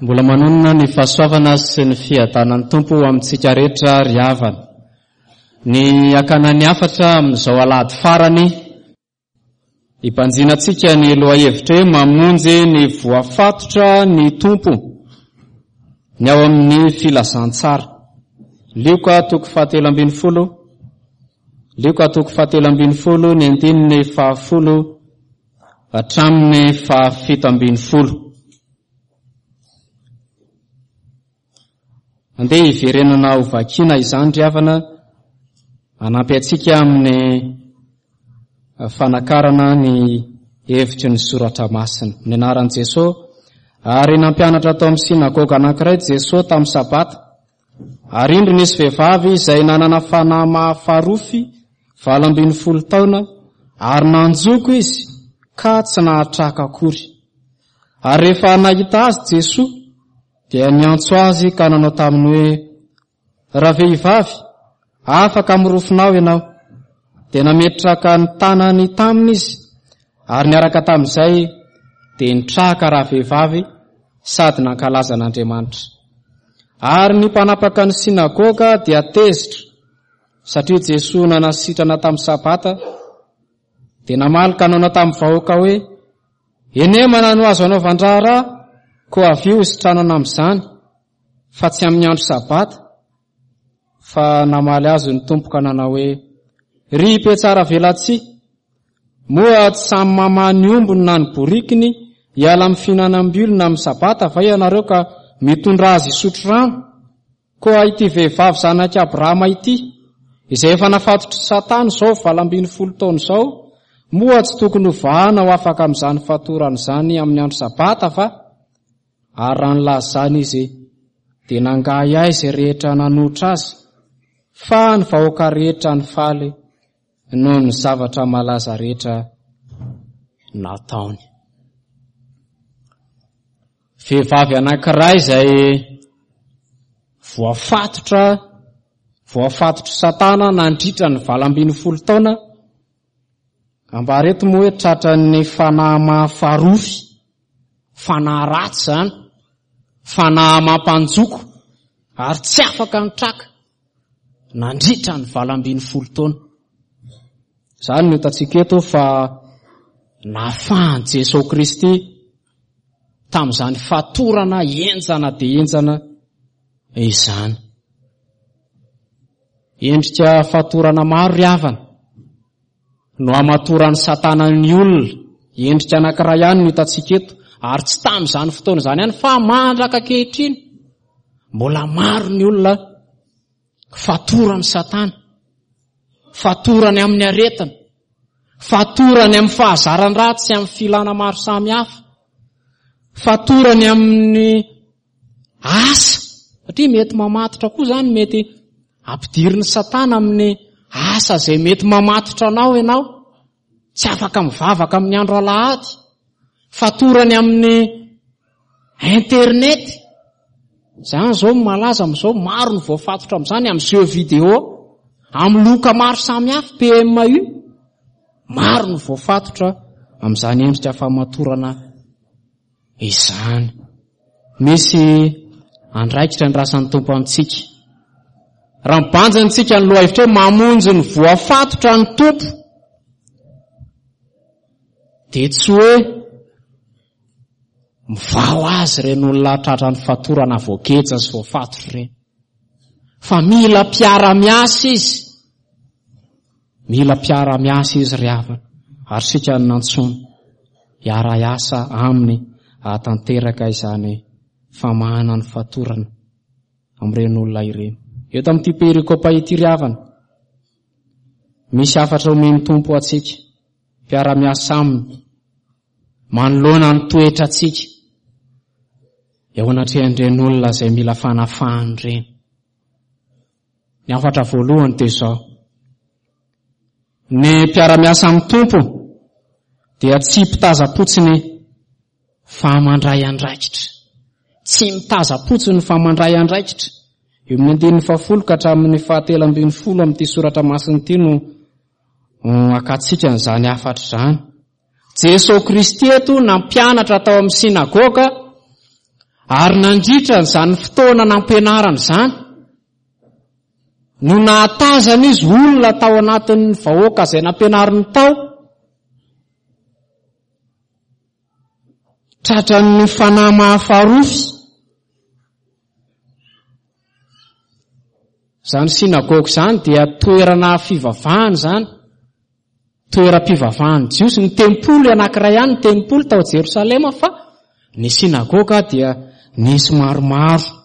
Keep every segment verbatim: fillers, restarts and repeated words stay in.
Mbola manonona ny fahasoavana sy ny fiadanan'ny Tompo amintsika rehetra ry havana. Ny hakana ny hafatra amin'izao alahady farany, hibanjinantsika ny lohahevitra hoe mamonjy ny voafatotra ny Tompo, ny ao amin'ny filazantsara. Lioka toko fahatelo ambin'ny folo, Lioka toko fahatelo ambin'ny folo, ny andininy fahafolo hatramin'ny fahafito ambin'ny folo. Andeha hiverenana ho vakiana izany ry havana, hanampy antsika amin'ny fanakarana ny hevitry ny soratra masina. Ny anaran'i Jesoa, ary nampianatra tao amin'ny synagoga anankiray Jesoa tamin'ny sabata. Ary indro nisy vehivavy izay nanana fanahy mahafarofy valo ambin'ny folo taona, ary nanjoko izy ka tsy nahatraka akory. Ary rehefa nahita azy Jesoa, dia niantso azy ka nanao taminy hoe, Ravehivavy, afaka amin'ny rofinao ianao. Dia nametraka ny tanany taminy izy, ary niaraka tamin'izay dia nitraka ravehivavy sady nankalaza an'Andriamanitra. Ary ny mpanapaka ny synagoga dia tezitra, satria Jesoa nanasitrana tamin'ny sabata, dia namaly ka nanao tamin'ny vahoaka hoe, Enemana no azo anaovan-draharaha, koa avy io hisitranana amin'izany, fa tsy amin'ny andro sabata. Fa namaly azy ny Tompo ka nanao hoe, Ry mpiatsara velatsihy, moa tsy samy mamaha ny ombiny na ny borikiny hiala amin'ny fihinanam-bilona amin'ny sabata va ianareo ka mitondra azy hisotro rano? Koa ity vehivavy zanak'i Abrahama ity, izay efa nafatotr'i Satana izao valo ambin'ny folo taona izao, moa tsy tokony hovahana ho afaka amin'izany fatorana izany amin'ny andro sabata va? Ary raha nilaza izany izy, dia nangahiahy izay rehetra nanohitra azy, fa ny vahoaka rehetra nifaly noho ny zavatra malaza rehetra nataony. Vehivavy anankiray izay voafatotra, voafatotry Satana nandritra ny valo ambin'ny folo taona, ambara eto moa hoe tratran'ny fanahy mahafarofy, fanahy ratsy izany, fanahy mampanjoko, ary tsy afaka nitraka nandritra ny valo ambin'ny folo taona. Izany no hitantsika eto fa nafahan'i Jesoa Kristy tamin'izany fatorana henjana dia henjana izany. Endrika fatorana maro ry havana no hamatoran'i Satana ny olona. Endrika anankiray ihany no hitantsika eto, ary tsy tamin'izany fotoana izany ihany fa mandraka ankehitriny mbola maro ny olona fatorany Satana, fatorany amin'ny aretina, fatorany amin'ny fahazaran-dratsy sy amin'ny filana maro samihafa, fatorany amin'ny asa, satria mety mamatotra koa izany, mety ampidirin'ny Satana amin'ny asa izay mety mamatotra anao ianao, tsy afaka mivavaka amin'ny andro alahady, fatorany amin'ny internet. Izany izao malaza amin'izao, maro ny voafatotra amin'izany, amin'ny jeux vidéo, amin'ny loka maro samihafa, P M U, maro ny voafatotra amin'izany endrika famatorana izany. Misy andraikitra ny rasan'ny Tompo amintsika. Raha mibanjina ny lohahevitra hoe mamonjy ny voafatotra ny Tompo, dia tsy hoe mivaho azy ireny olona tratra ny fatorana voageja sy voafatotra ireny, fa mila mpiara-miasa izy. Mila mpiara-miasa izy ry havana, ary isika no nantsoina hiara-hiasa aminy hahatanteraka izany famahana ny fatorana amin'ireny olona ireny. Eto amin'ity perikopa ity ry havana, misy hafatra omen'ny Tompo antsika mpiara-miasa aminy manoloana ny toetrantsika eo anatrehan'ireny olona izay mila fanafahana ireny. Ny hafatra voalohany dia izao: ny mpiara-miasa amin'ny Tompo dia tsy mpitazam-potsiny fa mandray andraikitra. Tsy mitazam-potsiny fa mandray andraikitra. Eo amin'ny andininy fahafolo ka hatramin'ny fahatelo ambin'ny folo amin'ity soratra masina ity no hakantsika an'izany hafatra izany. Jesoa Kristy eto nampianatra tao amin'ny synagoga, Ary nandritra izany fotoana nampianarana izany no nahatazana izy olona tao anatin'ny vahoaka izay nampianariny tao, tratran'ny fanahy mahafarofy. Izany synagoga izany dia toerana fivavahana izany, toeram-pivavahan'ny Jiosy. Ny tempoly anankiray ihany, ny tempoly tao Jerosalema, fa ny synagoga dia nisy maromaro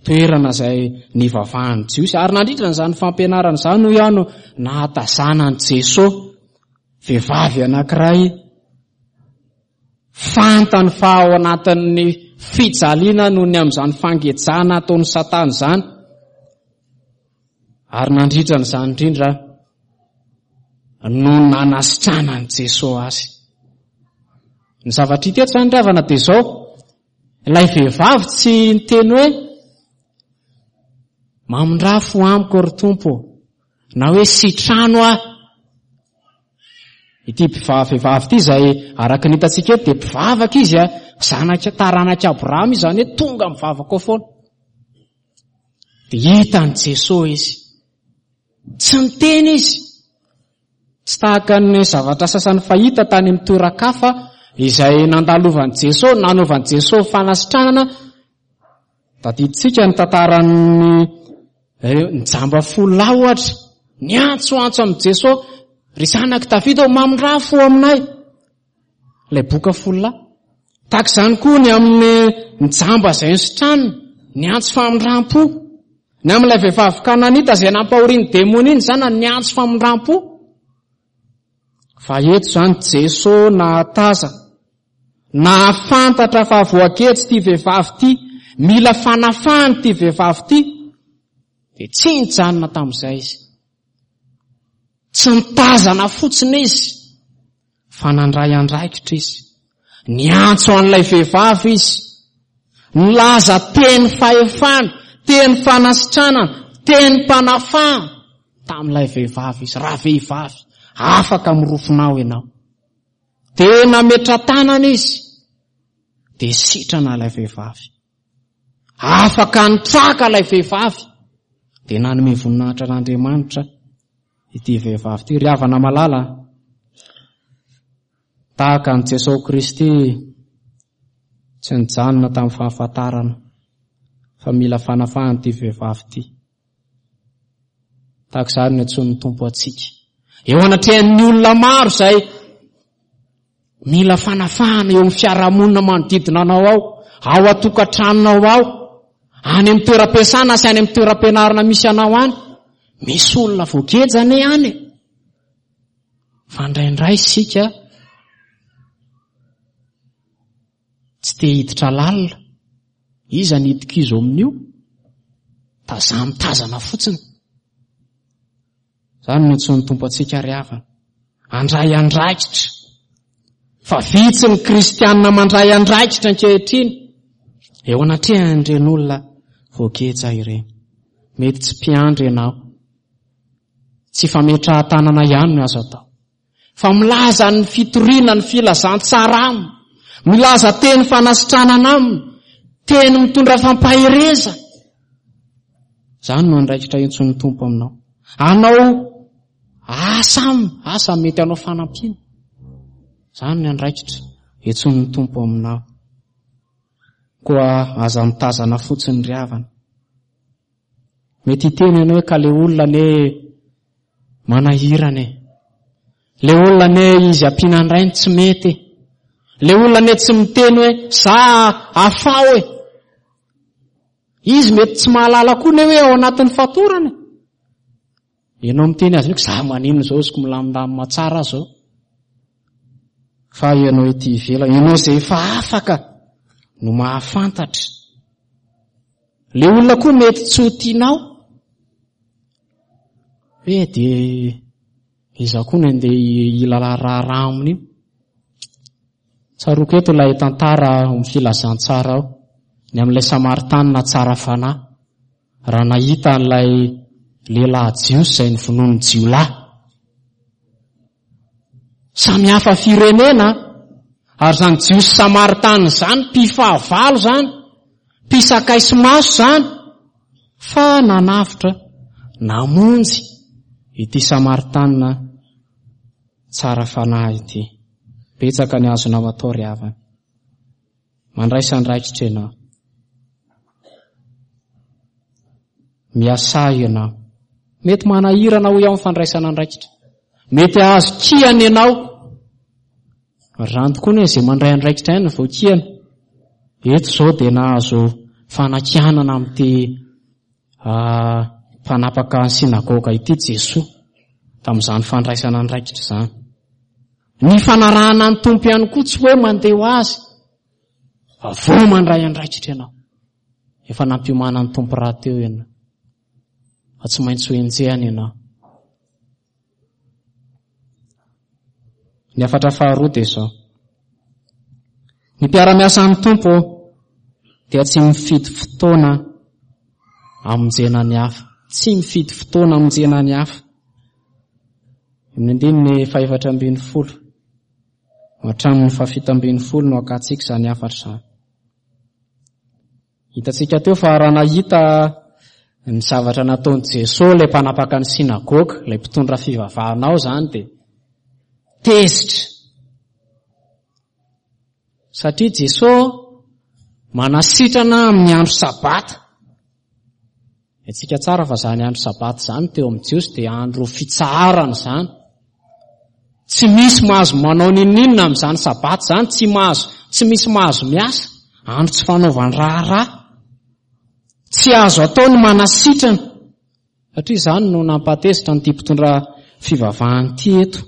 toerana izay nivavahan'ny Jiosy. Ary nandritra izany fampianarana izany hoy aho no nahatazana an'i Jesosy, vehivavy anankiray fantany fa ao anatin'ny fijaliana noho ny amin'izany fangejana ataon'ny Satana izany. Ary nandritra an'izany indrindra no nanasitranan'i Jesosy azy. Ny zavatra hita eto izany ry havana dia izao, ilay vehivavy tsy niteny hoe mamindrà fo amiko ry Tompo, na hoe sitrano aho. Ity vehivavy ity izay araka ny hitantsika eto dia mpivavaka izy, zanaka taranak'i Abrahama izy, izany hoe tonga mivavaka ao foana. Dia hitan'i Jesosy izy. Tsy niteny izy. Tsy tahaka ny zavatra sasany fahita tany amin'ny toeran-kafa izay nandalovan'i Jesosy, nanaovan'i Jesosy fanasitranana. Tadidintsika ny tantaran'ny ny jamba folo lahy ohatra, niantsoantso amin'i Jesosy, ry zanak'i Davida, mamindrà fo aminay. Ilay boka folo lahy. Tahaka izany koa ny amin'ny ny jamba izay nositranina, niantso famindram-po. Ny amin'ilay vehivavy kananita izay nampahorian'ny demonia ny zanany, niantso famindram-po. Fa eto izany Jesosy nahataza, nahafantatra fa voaketsy ity vehivavy ity, mila fanafahana ity vehivavy ity, dia tsy nijanona tamin'izay izy. Tsy nitazana fotsiny izy, fa nandray andraikitra izy. Niantso an'ilay vehivavy izy, nilaza teny fahefana, teny fanasitranana, teny mpanafahana tamin'ilay vehivavy izy. Raha vehivavy, afaka mirofonao ianao. Dia nametra-tanana izy, dia sitrana ilay vehivavy. Afaka nitraka ilay vehivavy, dia nanome voninahitra an'Andriamanitra ity vehivavy ity. Ry havana malala, tahaka an'i Jesosy Kristy tsy nijanona tamin'ny fahafantarana fa mila fanafahana ity vehivavy ity. Tahaka izany no antsoin'ny Tompo antsika. Eo anatrehan'ny olona maro izay mila fanafahana eo amin'ny fiarahamonina manodidina anao ao, ao an-tokantranonao ao, any amin'ny toeram-piasana sy any amin'ny toeram-pianarana misy anao any, misy olona voageja anie any. Fa indraindray isika tsy te hiditra lalina. Iza ny hidika izo amin'io? Tazamitazana fotsiny. Izany no antsoin'ny Tompo antsika ry havana. Andray andraikitra. Fa vitsy ny kristianina mandray andraikitra ankehitriny eo anatrehan'ireny olona voageja ireny. Mety tsy mpiandry ianao. Tsy fametrahan-tanana ihany no azo atao. Fa milaza ny fitoriana ny filazantsara aminy, milaza teny fanasitranana aminy, teny mitondra fampahereza. Izany no andraikitra intsoin'ny Tompo aminao. Anao asa aminy, asa mety hanao fanampiana. Izany no andraikitra intsoin'ny Tompo aminao. Koa aza mitazana fotsiny ry havana. Mety hiteny ianao hoe ka le olona anie manahirana e. Le olona anie izy ampiana an-drainy tsy mety. Le olona anie tsy miteny hoe za afaho e. Izy mety tsy mahalala koa ne hoe ao anatin'ny fatorana. Ianao miteny azy hoe za maninona izao, izy ko milamindamina tsara zao. Fa ianao ety ivelany, ianao izay efa afaka no mahafantatra. Le olona koa mety tsy ho tianao. Hoe dia iza koa no andeha hilala raharaha amin'io. Tsaroako eto ilay tantara amin'ny filazantsara ao, ny amin'ilay Samaritanina tsara fanahy, raha nahita an'ilay lehilahy Jiosy izay novonoin'ny jiolahy. Samy hafa firenena, ary izany Jiosy Samaritanina izany mpifahavalo izany. Mpisakay sy maso izany fa nanavotra, namonjy ity Samaritanina tsara fanahy ity. Betsaka ny azonao atao ry havana. Mandraisa andraikitra ianao. Miasà ianao. Mety manahirana hoy aho ny fandraisana andraikitra. Mety hahazo kihana ianao. Ary izany tokoa anie izay mandray andraikitra ihany no voakihana. Eto izao dia nahazo fanakianana amin'ity mpanapaka ny synagoga ity Jesoa tamin'izany fandraisana andraikitra izany. Ny fanarahana ny Tompo ihany koa tsy hoe mandeha ho azy fa vao mandray andraikitra ianao. Efa nampiomana ny Tompo rahateo ianao. Fa tsy maintsy ho enjehana ianao. Ny hafatra faharoa dia izao. Ny mpiara-miasa amin'ny Tompo dia tsy mifidy fotoana hamonjena ny hafa. Tsy mifidy fotoana hamonjena ny hafa. Amin'ny andininy fahefatra ambin'ny folo hatramin'ny fahafito ambin'ny folo no hakantsika izany hafatra izany. Hitantsika teo fa raha nahita ny zavatra nataon'i Jesoa ilay mpanapaka ny synagoga, ilay mpitondra fivavahana ao izany dia tezitra. Satria Jesoa manasitrana amin'ny andro sabata. Haintsika tsara fa izany andro sabata izany teo amin'ny Jiosy dia andro fitsaharana izany. Tsy misy mahazo manao n'inon'inona amin'izany sabata izany, tsy mahazo, tsy misy mahazo miasa, andro tsy fanaovan-draharaha. Tsy azo atao ny manasitrana, satria izany no nampatezitra an'ity mpitondra fivavahana ity eto.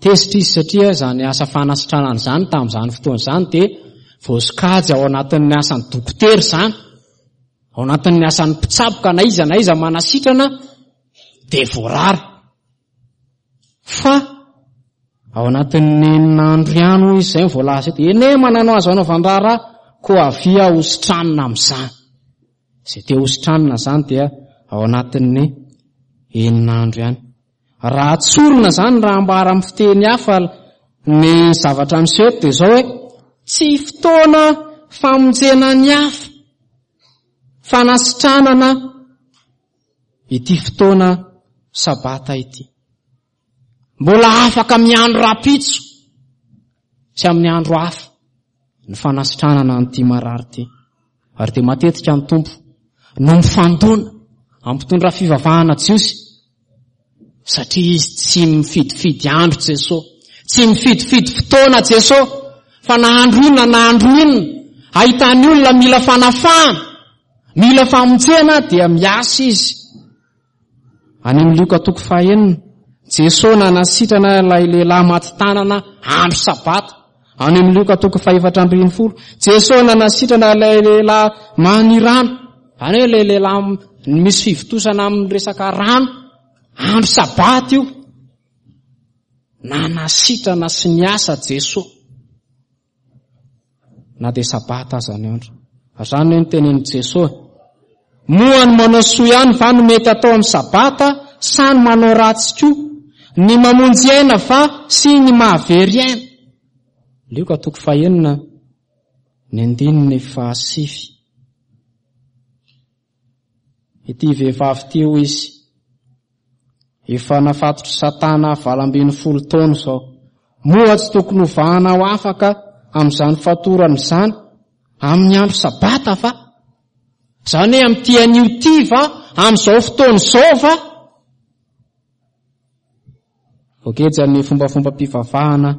Tezitra izy satria izany asa fanasitranana izany tamin'izany fotoana izany dia voasokajy ao anatin'ny asan'ny dokotera izany, ao anatin'ny asan'ny mpitsabo ka na iza na iza manasitrana dia voarara. Fa ao anatin'ny enina andro ihany hoy izy izay no voalaza eto, eny e, manana azo anaovan-draharaha, koa avia ho sitranina amin'izany. Izay te ho sitranina izany dia ao anatin'ny enina andro ihany. Raha tsorina izany, raha ambara amin'ny fiteny hafa ny zavatra miseho eto dia izao hoe, tsy fotoana famonjena ny hafa, fanasitranana ity fotoana sabata ity. Mbola afaka miandro rahampitso sy amin'ny andro hafa ny fanasitranana an'ity marary ity. Ary dia matetika ny Tompo no mifandona amin'ny mpitondra fivavahana jiosy satria izy tsy mifidifidy andro Jesoa, tsy mifidifidy fotoana Jesoa, fa na andro inona na andro inona ahitany olona mila fanafahana, mila famonjena dia miasa izy. Any amin'ny Lioka toko fahenina, Jesoa nanasitrana ilay lehilahy maty tanana andro sabata. Any amin'ny Lioka toko fahefatra ambin'ny folo, Jesoa nanasitrana ilay lehilahy manirano. Izany hoe ilay lehilahy misy fivontosana amin'ny resaka rano, andro sabata io. Nanasitrana sy niasa Jesoa. Na dia sabata aza ny andro. Ary izany hoe ny tenenin'i Jesoa. Moa ny manao soa ihany va no mety atao amin'ny sabata sa ny manao ratsy koa? Ny mamonjy aina va sy ny mahavery aina? Lioka toko fahenina ny andininy fahasivy. Ity vehivavy ity hoy izy, efa nafatotr'i Satana valo ambin'ny folo taona izao. Moa tsy tokony hovahana ho afaka amin'izany fatorana izany amin'ny andro sabata va? Izany hoe amin'ity anio ity va? Amin'izao fotoana izao va? Voageja ny fombafombam-pivavahana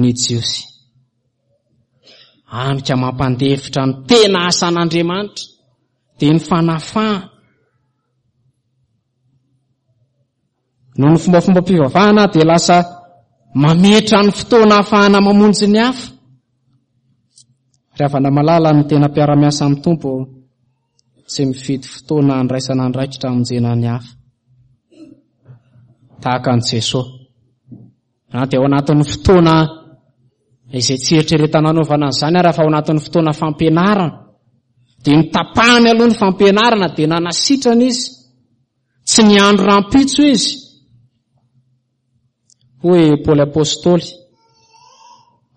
ny Jiosy. Hany ka mampandefitra ny tena asan'Andriamanitra dia ny fanafahana. Noho ny fombafombam-pivavahana dia lasa mametra ny fotoana ahafahana mamonjy ny hafa. Ry havana malala, ny tena mpiara-miasa amin'ny Tompo tsy mifidy fotoana handraisana andraikitra hamonjena ny hafa. Tahaka an'i Jesoa. Na dia ao anatin'ny fotoana izay tsy eritreretana hanaovana an'izany ary fa ao anatin'ny fotoana fampianarana, dia notapahany aloha ny fampianarana dia nanasitrana izy. Tsy niandry rahampitso izy. Hoy Paoly Apostoly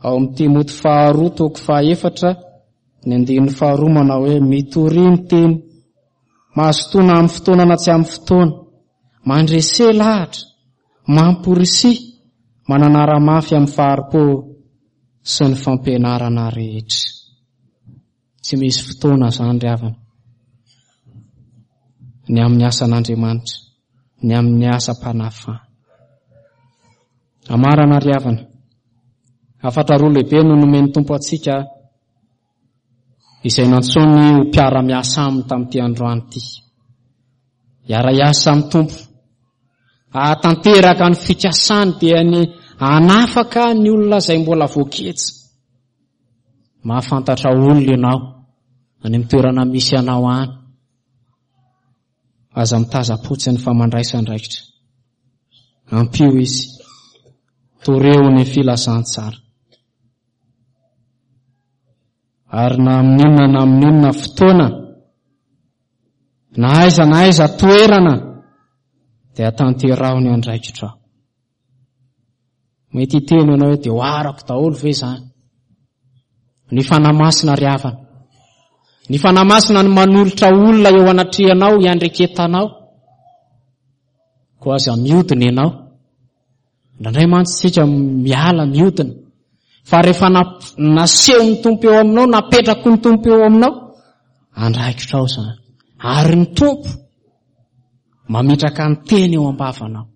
Ao amin'ny Timoty faharoa toko fahaefatra ny andininy faharoa manao hoe mitoria ny teny, mazotoa na amin'ny fotoana na tsy amin'ny fotoana, mandrese lahatra, mamporisia, mananara mafy amin'ny fahari-po sy ny fampianarana rehetra. Tsy misy fotoana izany ry havana. Ny amin'ny asan'Andriamanitra, ny amin'ny asam-panafahana. Amarana ry havana. Hafatra roa lehibe no nomen'ny Tompo antsika izay nantsoiny ho mpiara-miasa aminy tamin'ity androany ity. Hiara-hiasa amin'ny Tompo hahatanteraka ny fikasany dia ny hanafaka ny olona izay mbola voaketsa. Mahafantatra olona ianao any amin'ny toerana misy anao any. Aza mitazam-potsiny fa mandraisa andraikitra. Ampio izy. Toreo ny filazantsara. Ary na amin'inona na amin'inona fotoana, na aiza na aiza toerana, dia tanteraho ny andraikitrao. Mety hiteny ianao hoe dia ho arako daholo ve izany? Ny Fanahy Masina ry havana. Ny Fanahy Masina no manolotra olona eo anatrehanao hiandreketanao. Koa aza miodina ianao. Indraindray mantsy isika miala miodina. Fa rehefa nasehon'ny Tompo eo aminao, napetraky ny Tompo eo aminao, andraikitrao izany. Ary ny Tompo mametraka ny teny eo am-bavanao.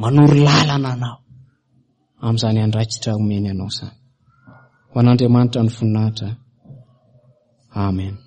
Manoro lalana anao amin'izany andraikitra omeny anao izany. Ho an'Andriamanitra ny voninahitra. Amen.